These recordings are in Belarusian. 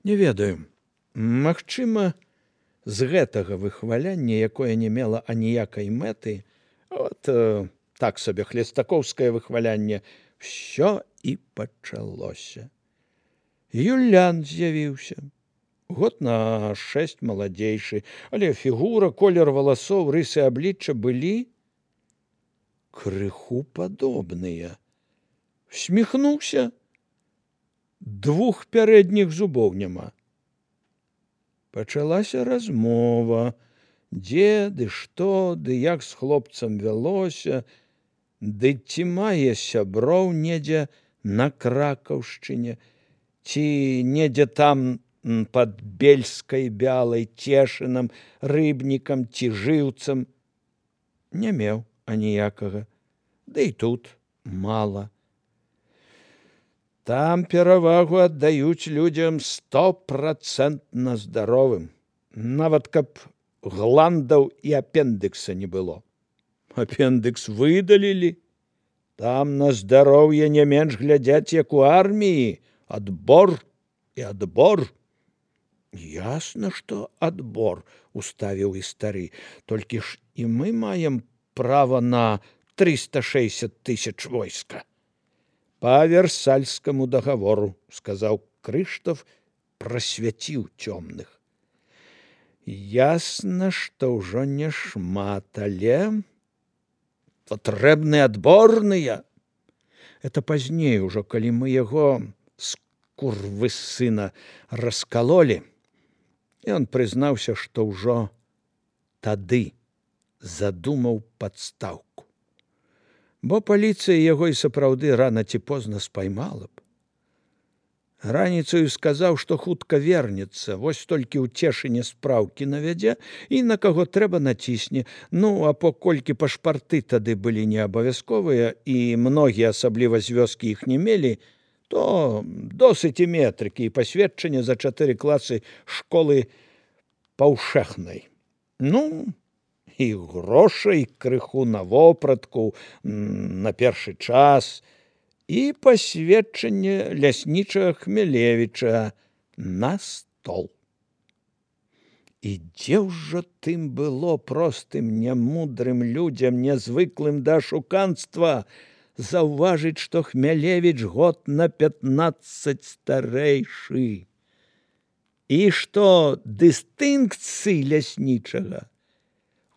Не ведаю. Магчыма, з гэтага выхваляння, якое не мела аніякай мэты, так сабе хлестакоўскае выхвалянне, ўсё і пачалося. Юлян з'явіўся. Год на 6 маладзейшы, але фігура, колер валасоў, рысы аблічча былі крыху падобныя. Усміхнуўся, 2 пярэдніх зубоў няма. Пачалася размова, дзе, ды што, ды як з хлопцам вялося, ды ці мае сяброў недзе на Кракаўшчыне, ці недзе там пад Бельскай Бялай, Цешынам, Рыбнікам ці Жыўцам. Не меў аніякага, ды і тут мала. Там перавагу аддаюць людзям 100% здаровым, нават каб гландаў і апендыкса не было. Апендыкс выдалілі. Там на здароўе не менш глядзяць, як у арміі. Адбор і адбор. Ясна, што адбор, уставіў і стары. Толькі ж і мы маем права на 360 000 войска. Па Версальскаму дагавору, сказаў Крыштаф, прасвяціў цёмных. Ясна, што ўжо не шмат, але патрэбны адборныя. Это пазней ужо, калі мы яго скурвысына раскалолі, ён прызнаўся, што ўжо тады задумаў падстаўку. Бо паліцыя яго і сапраўды рана ці позна спаймала б. Раніцаю сказаў, што хутка вернецца, вось толькі ў Цешыне спраўкі навядзе і на каго трэба націсне. Ну, а паколькі пашпарты тады былі неабавязковыя і многія, асабліва з вёскі, іх не мелі, то досыць і метрыкі і пасведчання за 4 класы школы паўшэхнай. Ну, і грошай крыху на вопратку, на першы час, і пасведчанне ляснічага Хмелевіча на стол. І дзе ўжо тым было простым, нямудрым людзям, нязвыклым да ашуканства, заўважыць, што Хмелевіч год на 15 старэйшы. І што дыстынкцыі ляснічага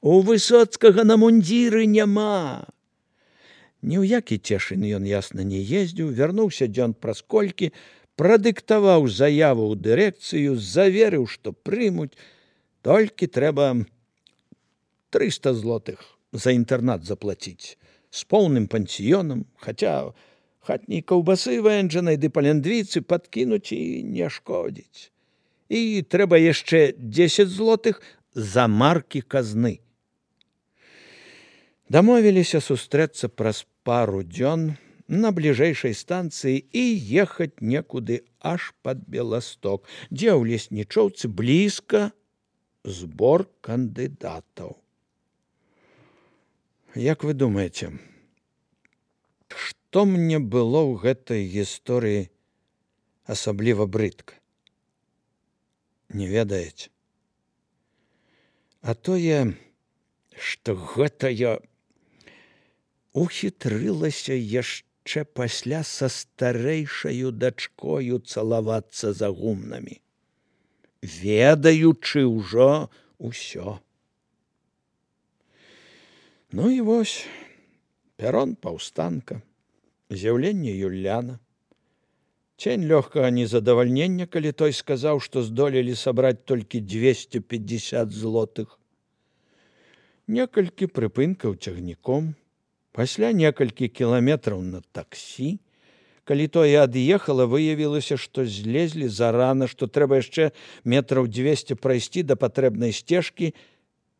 у Высоцкага на мундзіры няма. Ні ў які Цешын ён, ясна, не ездзіў, вярнуўся дзён праз колькі, прадыктаваў заяву ў дырэкцыю, заверыў, што прымуць, толькі трэба 300 злотых за інтэрнат заплаціць, з поўным пансіёнам, хаця хатняй каўбасы вэнджанай ды палендвіцы падкінуць і не шкодзіць. І трэба яшчэ 10 злотых за маркі казны. Дамовіліся сустрэцца праз пару дзён на бліжэйшай станцыі і ехаць некуды аж пад Беласток, дзе ў леснічоўцы блізка збор кандыдатаў. Як вы думаеце, што мне было ў гэтай гісторыі асабліва брыдка? Не ведаеце? А тое, што гэтая ухітрылася яшчэ пасля са старэйшаю дачкою цалавацца за гумнамі, ведаючы ўжо ўсё. Ну і вось, пярон паўстанка, з'яўленне Юляна, цень лёгкага незадавальнення, калі той сказаў, што здолелі сабраць толькі 250 злотых. Некалькі прыпынкаў цягніком, пасля некалькі кіламетраў на таксі. Калі тое ад'ехала, выявілася, што злезлі зарана, што трэба яшчэ метраў 200 прайсці да патрэбнай сцежкі.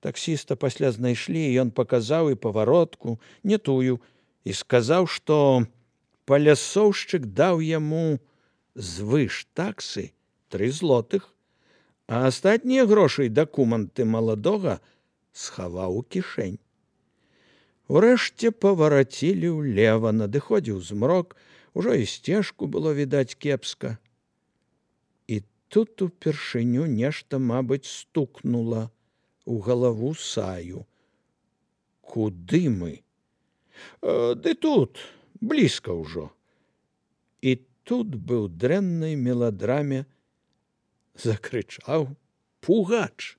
Таксіста пасля знайшлі, і ён паказаў і паваротку, не тую, і сказаў, што палясоўшчык даў яму звыш таксы 3 злотых, а астатнія грошы і дакументы маладога схаваў у кішэнь. Урэшце паварацілі ўлева, надыходзіў змрок, ужо і сцежку было відаць кепска. І тут упершыню нешта, мабыць, стукнула у галаву Саю. Куды мы? Ды тут, блізка ўжо. І тут бы ў дрэннай меладраме закрычаў пугач.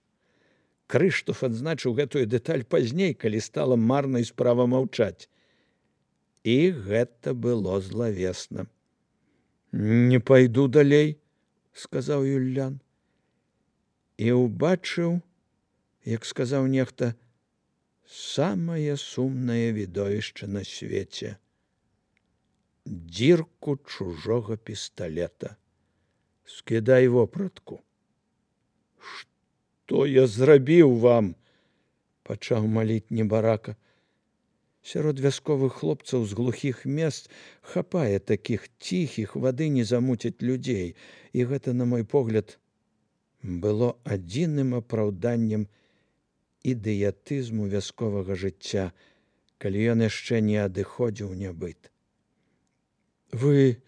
Крыштоф адзначыў гэтую дэталь пазней, калі стала марнай справа маўчаць. І гэта было злавесна. «Не пайду далей», – сказаў Юльян. І ўбачыў, як сказаў нехта, самае сумнае відовішча на свеце – дзірку чужога пісталета. «Скідай вопратку». «Што я зрабіў вам?» – пачаў маліць небарака. Сярод вясковых хлопцаў з глухіх мест хапае такіх ціхіх, вады не замуцяць людзей. І гэта, на мой погляд, было адзіным апраўданнем ідыятызму вясковага жыцця, калі ён яшчэ не адыходзіў нябыт. «Вы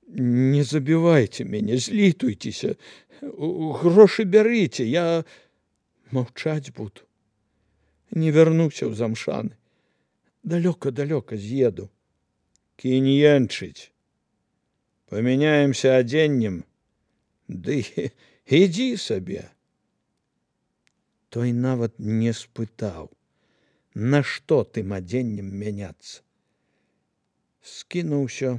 не забівайце мяне, злітуйцеся, грошы бярыце, я маўчаць буду. Не вярнуся ў Замшаны. Далёка-далёка з'еду». «Кінь енчыць. Памяняемся адзеннем, ды ідзі сабе». Той нават не спытаў, на што тым адзеннем мяняцца. Скінуў усё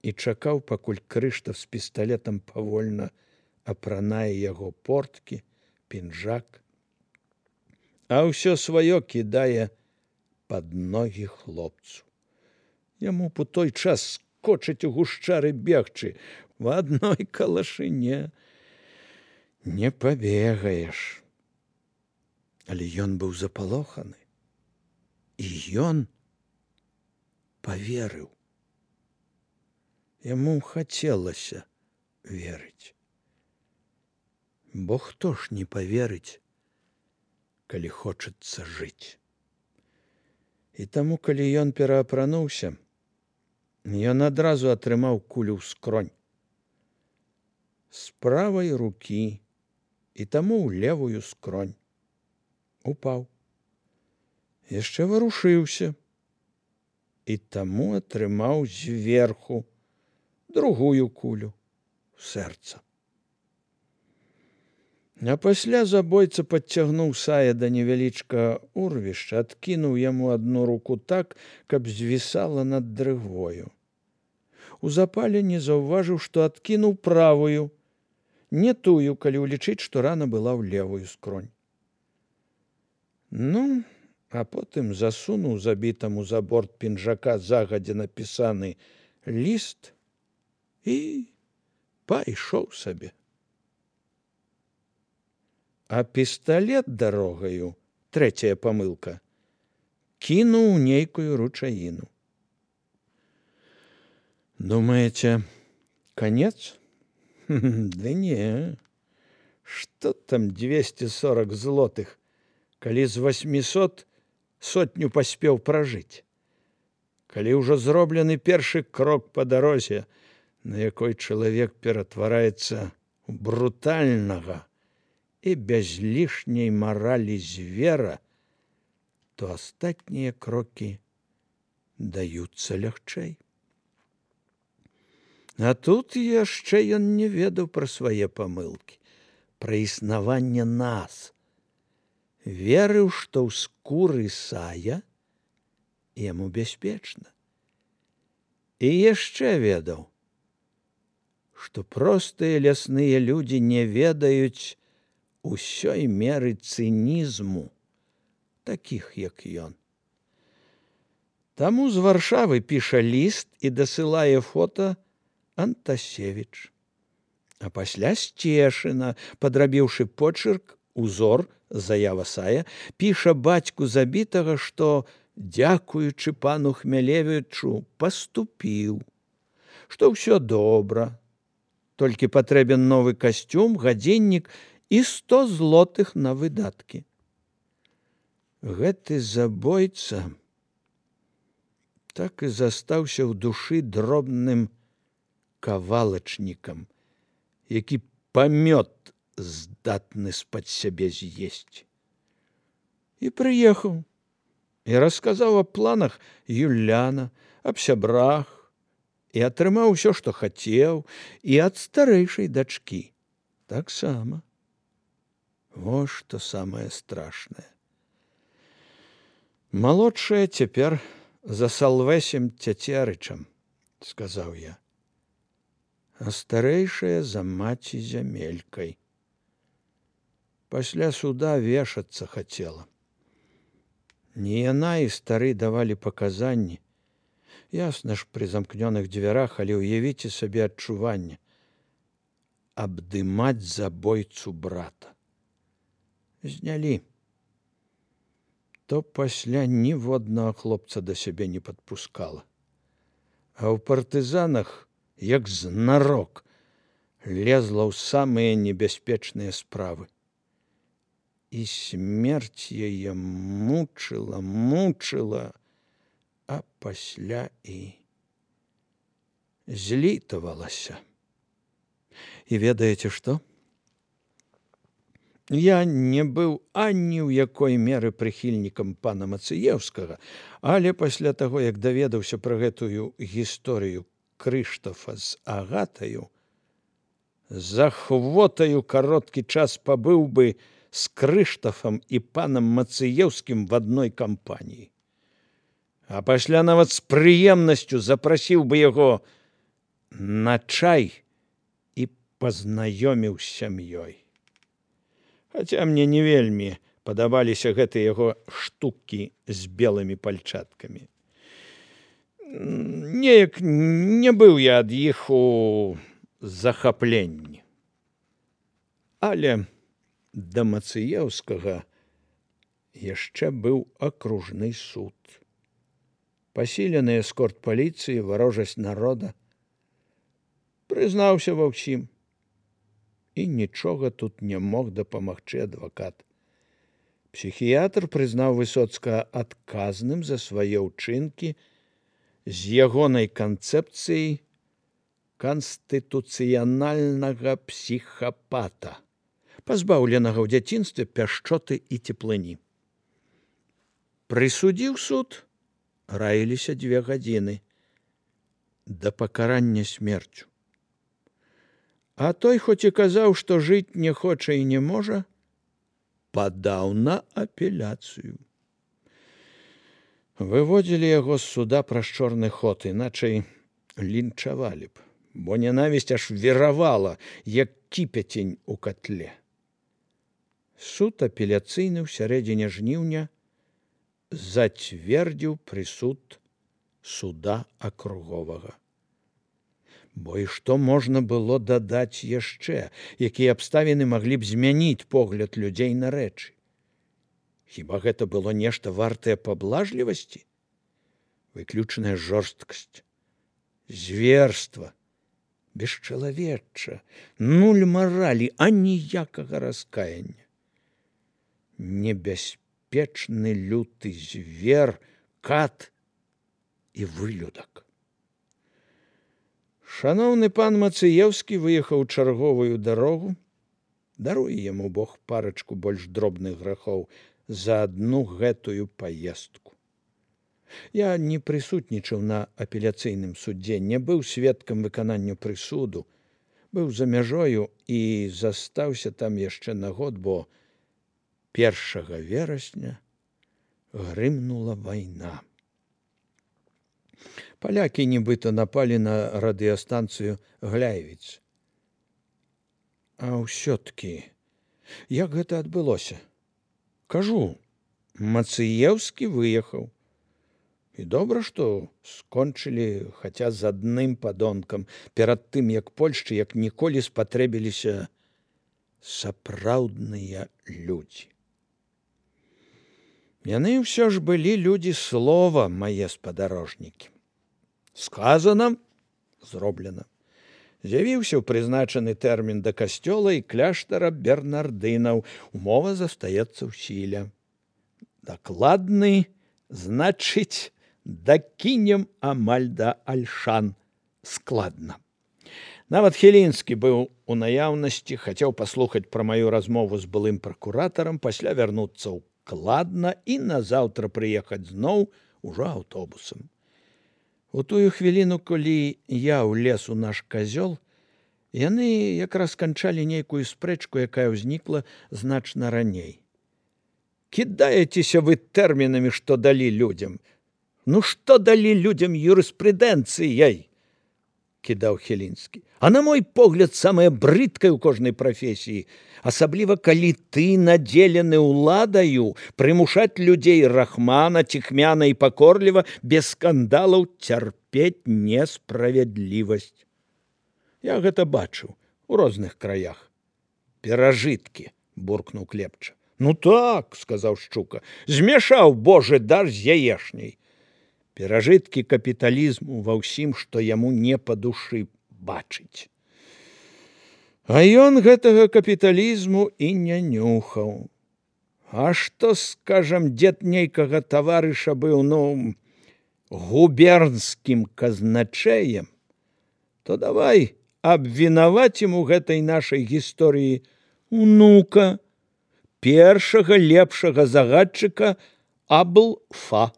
і чакаў, пакуль Крыштаф з пісталетам павольна апранае яго порткі, пінжак, а ўсё сваё кідае пад ногі хлопцу. Яму б у той час скочыць у гушчары бегчы, в адной калашыне не пабегаеш. Але ён быў запалоханы, і ён паверыў. Яму хацелася верыць. Бо хто ж не паверыць, калі хочацца жыць. І таму, калі ён пераапрануўся, ён адразу атрымаў кулю ў скронь. З правай рукі, і таму ў левую скронь. Упаў. Яшчэ варушыўся, і таму атрымаў зверху другую кулю ў сэрца. А пасля забойца падцягнуў Сая да невялічкага урвішча, адкінуў яму адну руку так, каб звісала над дрыгвою. У запале не заўважыў, што адкінуў правую, не тую, калі ўлічыць, што рана была ў левую скронь. Ну, а потым засунуў забітаму за борт пінжака загадзя напісаны ліст і пайшоў сабе. А пісталет дарогаю, трэцяя памылка, кінуў нейкую ручаіну. Думаеце, канец? Да не, што там 240 злотых, калі з 800 сотню паспеў пражыць. Калі ўжо зроблены першы крок па дарозе, на якой чалавек ператвараецца ў брутальнага і без лішняй маралі звера, то астатнія крокі даюцца лягчэй. А тут яшчэ ён не ведаў пра свае памылкі, пра існаванне нас. Верыў, што ў скуры Сая яму бяспечна. І яшчэ ведаў, што простыя лясныя людзі не ведаюць усёй меры цынізму такіх, як ён. Таму з Варшавы піша ліст і дасылае фота Антасевіч. А пасля з Цешына, падрабіўшы почырк, узор, заява Сая, піша бацьку забітага, што, дзякуючы пану Хмялевічу, паступіў, што ўсё добра, толькі патрэбен новы касцюм, гадзіннік і 100 злотых на выдаткі. Гэты забойца так і застаўся ў душы дробным кавалачнікам, які памёт здатны з-пад сябе з'есці. І прыехаў, і расказаў аб планах Юляна, аб сябрах, і атрымаў усё, што хацеў, і ад старэйшай дачкі таксама. Во што самае страшнае. Малодшая цяпер за Салвэсем Цяцерычам, сказаў я, а старэйшая за маці Зямелькай. Пасля суда вешацца хацела. Не яна і стары давалі паказанні. Ясна ж, пры замкнёных дзвярах, але ўявіце сабе адчуванне. Абдымаць забойцу брата. Знялі. То пасля ніводнага хлопца да сябе не падпускала. А ў партызанах, як знарок, лезла ў самыя небяспечныя справы. І смерць яе мучыла, а пасля і злітавалася. І ведаеце што? Я не быў ані ў якой меры прыхільнікам пана Мацыеўскага, але пасля таго, як даведаўся пра гэтую гісторыю Крыштафа з Агатаю, з ахвотаю кароткі час пабыў бы з Крыштафам і панам Мацыеўскім в адной кампаніі. А пасля нават з прыемнасцю запрасіў бы яго на чай і пазнаёміў з сям'ёй. Хаця мне не вельмі падабаліся гэтыя яго штукі з белымі пальчаткамі. Неяк не быў я ад іх у захапленні. Але да Мацыеўскага яшчэ быў акружны суд. Пасілены эскорт паліцыі, варожасць народа. Прызнаўся ва ўсім. І нічога тут не мог дапамагчы адвакат. Псіхіятр прызнаў Высоцкага адказным за свае ўчынкі з ягонай канцэпцыяй канстытуцыянальнага псіхапата, пазбаўленага ў дзяцінстве пяшчоты і цеплыні. Прысудзіў суд, раіліся 2 гадзіны да пакарання смерцю. А той, хоць і казаў, што жыць не хоча і не можа, падаў на апеляцыю. Выводзілі яго з суда праз чорны ход, іначай лінчавалі б, бо нянавісць аж віравала, як кіпяцень у катле. Суд апеляцыйны ў сярэдзіне жніўня зацвердзіў прысуд суда акруговага. Бо і што можна было дадаць яшчэ, якія абставіны маглі б змяніць погляд людзей на рэчы? Хіба гэта было нешта вартае паблажлівасці? Выключаная жорсткасць, зверства, бесчалавечча, нуль маралі, а ніякага раскаяння. Небяспечны люты звер, кат і вылюдак. Шаноўны пан Мацыеўскі выехаў чарговую дарогу, даруе яму Бог парачку больш дробных грахоў, за адну гэтую паездку. Я не прысутнічаў на апеляцыйным судзе, не быў сведкам выканання прысуду, быў за мяжою і застаўся там яшчэ на год, бо 1 верасня грымнула вайна. Палякі нібыта напалі на радыёстанцыю Гляевіц. А ўсё-ткі, як гэта адбылося? Кажу, Мацыеўскі выехаў. І добра, што скончылі хаця з адным падонкам, перад тым, як Польшчы, як ніколі спатрэбіліся сапраўдныя людзі. Яны ўсё ж былі людзі слова, мае спадарожнікі. Сказана, зроблена. З'явіўся ў прызначаны тэрмін да касцёла і кляштара бернардынаў. Умова застаецца ў сіле. Дакладны, значыць, дакінем амаль да альшан. Складна. Нават Хілінскі быў у наяўнасці, хацеў паслухаць пра маю размову з былым пракуратарам, пасля вярнуцца ў Кладна і назаўтра прыехаць зноў ужо аўтобусам. У тую хвіліну, калі я ўлез у наш казёл, яны якраз канчалі нейкую спрэчку, якая ўзнікла значна раней. «Кідаецеся вы тэрмінамі, што далі людзям? Ну, што далі людзям юрыспрудэнцыяй?» – кідаў Хілінскі. «А на мой погляд, самае брыдкае ў кожнай прафесіі, асабліва калі ты надзелены ўладаю, прымушаць людзей рахмана, ціхмяна і пакорліва, без скандалаў цярпець несправядлівасць. Я гэта бачыў у розных краях. Перажыткі», – буркнуў Клепча. «Ну так», – сказаў Шчука, – «змяшаў Божы дар з яешняй». Перажыткі капіталізму ва ўсім, што яму не па душы бачыць. А ён гэтага капіталізму і не нюхаў. А што, скажам, дзед нейкага таварыша быў, губернскім казначэем, то давай абвінавацім у гэтай нашай гісторыі унука, першага лепшага загадчыка Аблфа.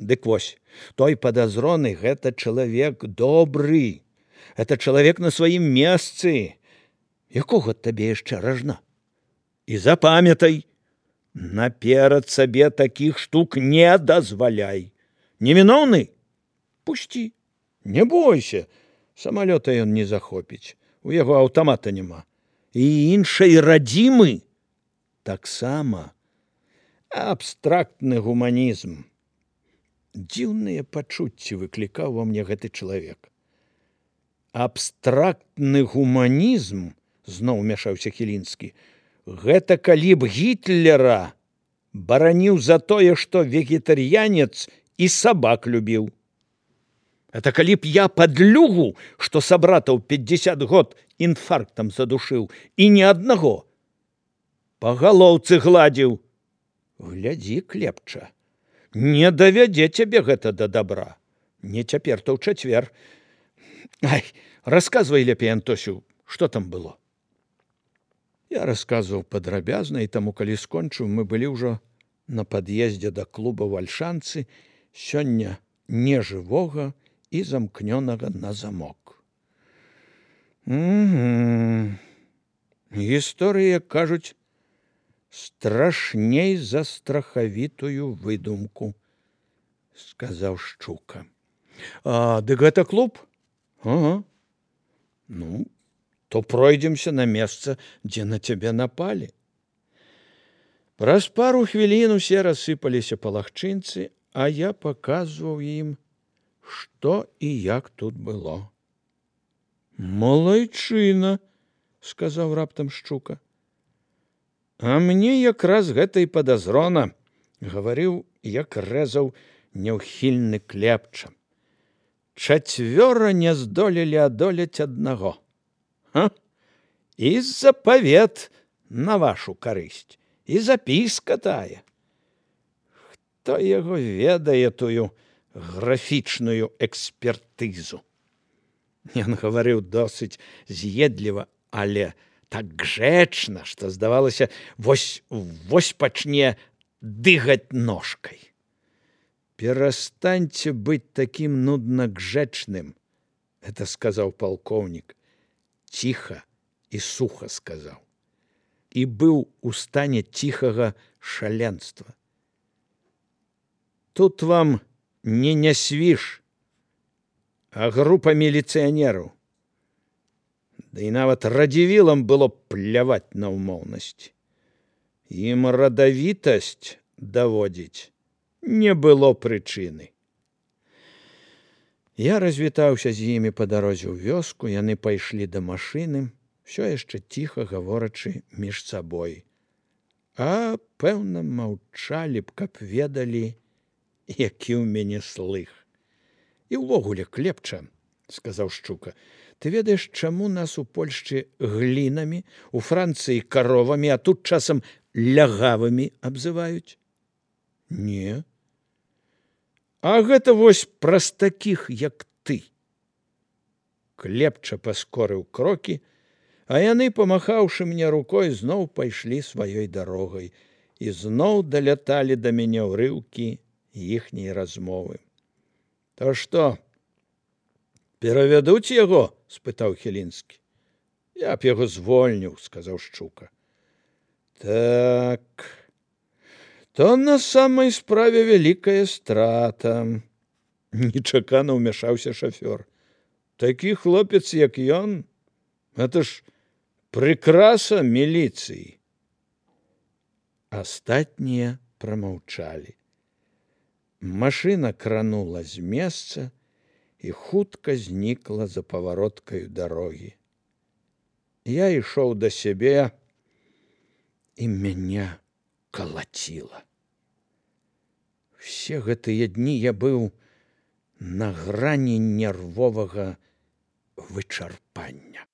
Дык вось, той падазроны – гэта чалавек добры, гэта чалавек на сваім месцы. Якога табе яшчэ ражна? І запамятай, наперад сабе такіх штук не дазваляй. Невіноўны? Пусці, не бойся, самалёта ён не захопіць, у яго аўтамата няма. І іншай радзімы таксама. Абстрактны гуманізм. Дзіўныя пачуцці выклікаў ва мне гэты чалавек. Абстрактны гуманізм, зноў умяшаўся Хілінскі, гэта калі б Гітлера бараніў за тое, што вегетарыянец і сабак любіў. Это калі б я падлюгу, што сабратаў 50 год інфарктам задушыў, і ні аднаго, па галоўцы гладзіў. Глядзі, Клепча, не давядзе цябе гэта да добра. Не цяпер, то ў чацвер. Ай, расказвай лепей, Антосю, што там было? Я расказваў падрабязна, і таму, калі скончыў, мы былі ўжо на пад'ездзе да клуба «Вальшанцы», сёння нежывога і замкнёнага на замок. Гісторыя, кажуць, страшней за страхавітую выдумку, сказаў Шчука. Дык гэта клуб? Ага. Ну, то пройдземся на месца, дзе на цябе напалі. Праз пару хвілін усе рассыпаліся па лагчынцы, а я паказваў ім, што і як тут было. Малайчына, сказаў раптам Шчука. А мне якраз гэта і падазрона, гаварыў, як рэзаў няўхільны Клепча. Чацвёра не здолелі адолець аднаго. І запавет на вашу карысць, і запіска тая. Хто яго ведае тую графічную экспертызу? Ён гаварыў досыць з'едліва, але так грэчна, што здавалася, вось пачне дыгаць ножкай. «Перастаньце быць такім нудна грэчным», – это сказаў палкоўнік. Ціха і суха сказаў. І быў у стане ціхага шаленства. Тут вам не нясвіж, а група міліцыянераў. Да і нават радзівілам было пляваць на ўмоўнасць. Ім радавітасць даводзіць не было прычыны. Я развітаўся з імі па дарозе ў вёску, яны пайшлі да машыны, ўсё яшчэ ціха гаворачы між сабой. А, пэўна, маўчалі б, каб ведалі, які ў мяне слых. І ўвогуле, Клепча, сказаў Шчука, ты ведаеш, чаму нас у Польшчы глінамі, у Францыі каровамі, а тут часам лягавымі абзываюць? Не. А гэта вось праз такіх, як ты. клепча паскорыў крокі, а яны, памахаўшы мне рукой, зноў пайшлі сваёй дарогай, і зноў даляталі да мяне ўрыўкі іхняй размовы. То што, перавядуць яго? — спытаў Хілінскі. Я б яго звольніў, — сказаў Шчука. Так, то на самай справе вялікая страта. Нечакана ўмяшаўся шафёр. Такі хлопец, як ён, гэта ж прыкраса міліцыі. Астатнія прамаўчалі. Машына кранула з месца і хутка знікла за павароткаю дарогі. Я ішоў да сябе, і мяне калаціла. Усе гэтыя дні я быў на грані нервовага вычарпання.